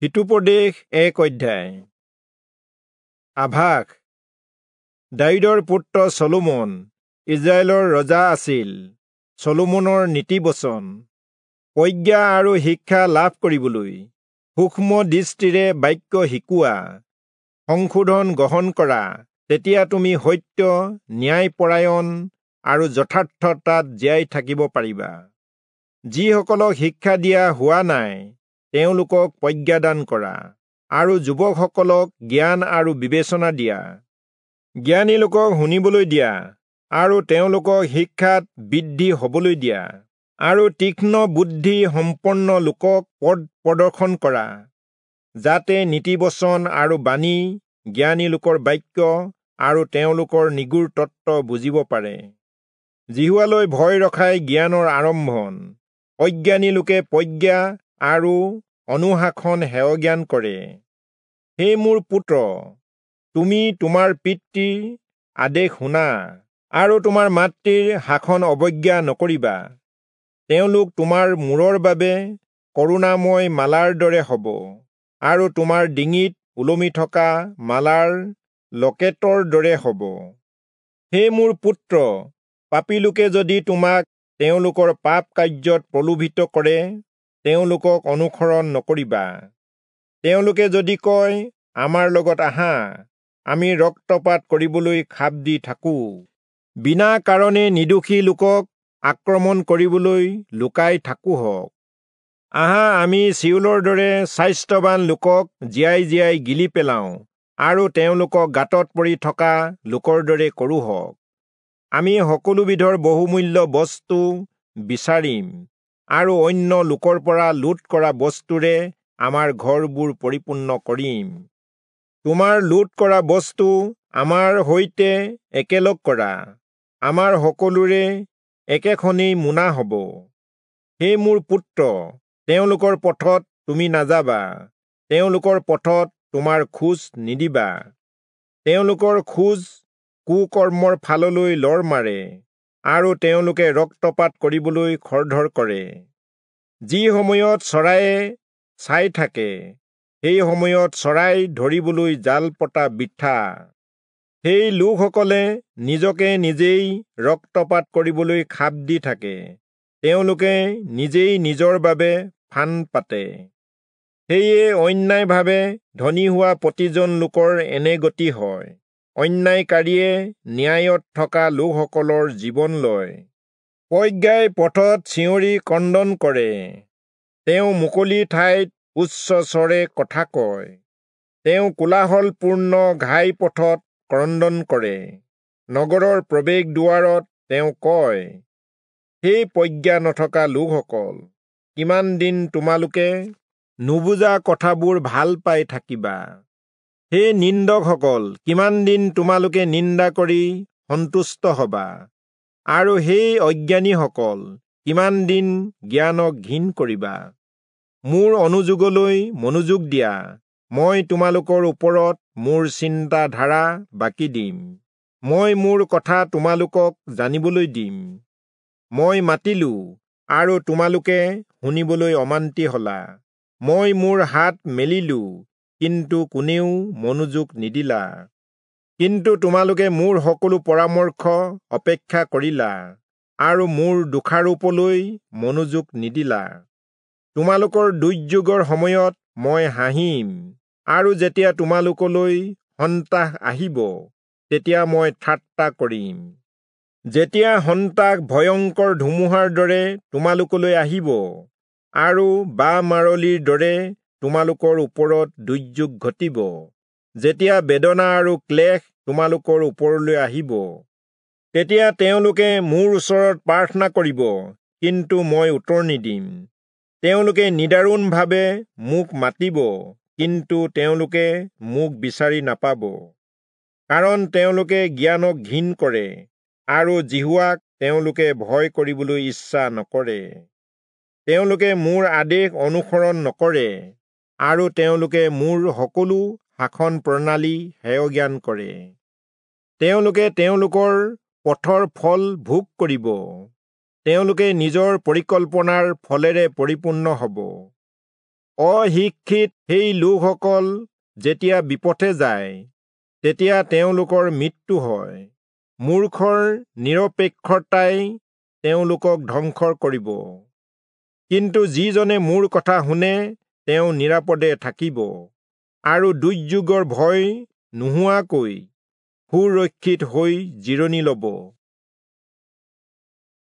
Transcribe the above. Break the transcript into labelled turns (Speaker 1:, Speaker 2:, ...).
Speaker 1: হিতোপদেশ এক অধ্যায়। আভাস। দায়ূদৰ পুত্ৰ চলোমন ইজৰাইলৰ ৰজা আছিল। চলোমনৰ নীতিবচন। প্ৰজ্ঞা আৰু শিক্ষা লাভ কৰিবলৈ সূক্ষ্ম দৃষ্টিৰে বাক্য শিকোৱা, সংশোধন গ্ৰহণ কৰা, তেতিয়া তুমি সত্য, ন্যায়পৰায়ণ আৰু যথাৰ্থতাত জীয়াই থাকিব পাৰিবা। যিসকলক শিক্ষা দিয়া হোৱা নাই তেওঁলোকক প্ৰজ্ঞাদান কৰা, আৰু যুৱকসকলক জ্ঞান আৰু বিবেচনা দিয়া। জ্ঞানী লোকক শুনিবলৈ দিয়া, আৰু তেওঁলোকক শিক্ষাত বৃদ্ধি হ'বলৈ দিয়া, আৰু তীক্ষ্ণ বুদ্ধি সম্পন্ন লোকক পথ প্ৰদৰ্শন কৰা, যাতে নীতিবচন আৰু বাণী, জ্ঞানী লোকৰ বাক্য আৰু তেওঁলোকৰ নিগূঢ় তত্ত্ব বুজিব পাৰে। যিহোৱালৈ ভয় ৰখাই জ্ঞানৰ আৰম্ভণ। অজ্ঞানী লোকে প্ৰজ্ঞা আৰু অনুশাসন হেয়জ্ঞান কৰে। হে মোৰ পুত্ৰ, তুমি তোমাৰ পিতৃৰ আদেশ শুনা, আৰু তোমাৰ মাতৃৰ শাসন অৱজ্ঞা নকৰিবা। তেওঁলোক তোমাৰ মূৰৰ বাবে কৰুণাময় মালাৰ দৰে হ'ব, আৰু তোমাৰ ডিঙিত ওলমি থকা মালাৰ লকেটৰ দৰে হ'ব। হে মোৰ পুত্ৰ, পাপী লোকে যদি তোমাক তেওঁলোকৰ পাপ কাৰ্যত প্ৰলোভিত কৰে, তেওঁলোকক অনুসৰণ নকৰিবা। তেওঁলোকে যদি কয়, আমাৰ লগত আহা, আমি ৰক্তপাত কৰিবলৈ খাপ দি থাকোঁ, বিনা কাৰণে নিৰ্দোষী লোকক আক্ৰমণ কৰিবলৈ লুকাই থাকোঁহক। আহা, আমি চিউলৰ দৰে স্বাস্থ্যৱান লোকক জীয়াই জীয়াই গিলি পেলাওঁ, আৰু তেওঁলোকক গাঁতত পৰি থকা লোকৰ দৰে কৰোঁহক। আমি সকলোবিধৰ বহুমূল্য বস্তু বিচাৰিম, আৰু অন্য লোকৰ পৰা লুট কৰা বস্তুৰে আমাৰ ঘৰবোৰ পৰিপূৰ্ণ কৰিম। তোমাৰ লুট কৰা বস্তু আমাৰ সৈতে একেলগ কৰা, আমাৰ সকলোৰে একেখনেই মোনা হ'ব। হে মোৰ পুত্ৰ, তেওঁলোকৰ পথত তুমি নাযাবা, তেওঁলোকৰ পথত তোমাৰ খোজ নিদিবা। তেওঁলোকৰ খোজ কুকৰ্মৰ ফাললৈ লৰ মাৰে, আৰু তেওঁলোকে ৰক্তপাত কৰিবলৈ খৰধৰ কৰে। যি সময়ত চৰাইয়ে চাই থাকে, সেই সময়ত চৰাই ধৰিবলৈ জাল পতা বৃথা। সেই লোকসকলে নিজকে নিজেই ৰক্তপাত কৰিবলৈ খাপ দি থাকে, তেওঁলোকে নিজেই নিজৰ বাবে ফান পাতে। সেয়ে অন্যায়ভাৱে ধনী হোৱা প্ৰতিজন লোকৰ এনে গতি হয়। অন্যায়কাৰীয়ে ন্যায়ত থকা লোকসকলৰ জীৱন লয়। প্ৰজ্ঞাই পথত চিঞৰি ক্ৰন্দন কৰে, তেওঁ মুকলি ঠাইত উচ্চ স্বৰে কথা কয়। তেওঁ কোলাহলপূৰ্ণ ঘাই পথত ক্ৰন্দন কৰে, নগৰৰ প্ৰৱেশ দুৱাৰত তেওঁ কয়, সেই প্ৰজ্ঞা নথকা লোকসকল, কিমান দিন তোমালোকে নুবুজা কথাবোৰ ভাল পাই থাকিবা? হে নিন্দকসকল, কিমান দিন তোমালোকে নিন্দা কৰি সন্তুষ্ট হবা? আৰু সেই অজ্ঞানীসকল, কিমান দিন জ্ঞানক ঘিণ কৰিবা? মোৰ অনুযোগলৈ মনোযোগ দিয়া, মই তোমালোকৰ ওপৰত মোৰ চিন্তাধাৰা বাকি দিম। মই মোৰ কথা তোমালোকক জানিবলৈ দিম। মই মাতিলো, আৰু তোমালোকে শুনিবলৈ অমান্তি হলা। মই মোৰ হাত মেলিলো, কিন্তু কোনেও মনোযোগ নিদিলা। কিন্তু তোমালোকে মোৰ সকলো পৰামৰ্শ অপেক্ষা কৰিলা, আৰু মোৰ দোষাৰোপলৈ মনোযোগ নিদিলা। তোমালোকৰ দুৰ্যোগৰ সময়ত মই হাঁহিম, আৰু যেতিয়া তোমালোকলৈ সন্ত্ৰাস আহিব, তেতিয়া মই ঠাট্টা কৰিম। যেতিয়া সন্ত্ৰাস ভয়ংকৰ ধুমুহাৰ দৰে তোমালোকলৈ আহিব, আৰু বাঁহ মাৰলিৰ দৰে তোমালোকৰ ওপৰত দুৰ্যোগ ঘটিব, যেতিয়া বেদনা আৰু ক্লেশ তোমালোকৰ ওপৰলৈ আহিব, তেতিয়া তেওঁলোকে মোৰ ওচৰত প্ৰাৰ্থনা কৰিব, কিন্তু মই উত্তৰ নিদিম। তেওঁলোকে নিদাৰুণভাৱে মোক মাতিব, কিন্তু তেওঁলোকে মোক বিচাৰি নাপাব, কাৰণ তেওঁলোকে জ্ঞানক ঘিণ কৰে, আৰু যিহোৱাক তেওঁলোকে ভয় কৰিবলৈ ইচ্ছা নকৰে। তেওঁলোকে মোৰ আদেশ অনুসৰণ নকৰে, আৰু তেওঁলোকে মোৰ সকলো শাসন প্ৰণালী হেয়জ্ঞান কৰে। তেওঁলোকে তেওঁলোকৰ পথৰ ফল ভোগ কৰিব, তেওঁলোকে নিজৰ পৰিকল্পনাৰ ফলেৰে পৰিপূৰ্ণ হ'ব। অশিক্ষিত সেই লোকসকল যেতিয়া বিপথে যায়, তেতিয়া তেওঁলোকৰ মৃত্যু হয়। মূৰ্খৰ নিৰপেক্ষতাই তেওঁলোকক ধ্বংস কৰিব। কিন্তু যিজনে মোৰ কথা শুনে তেওঁ নিৰাপদে থাকিব আৰু দুৰ্যোগৰ ভয় নোহোৱাকৈ সুৰক্ষিত হৈ জিৰণি ল'ব।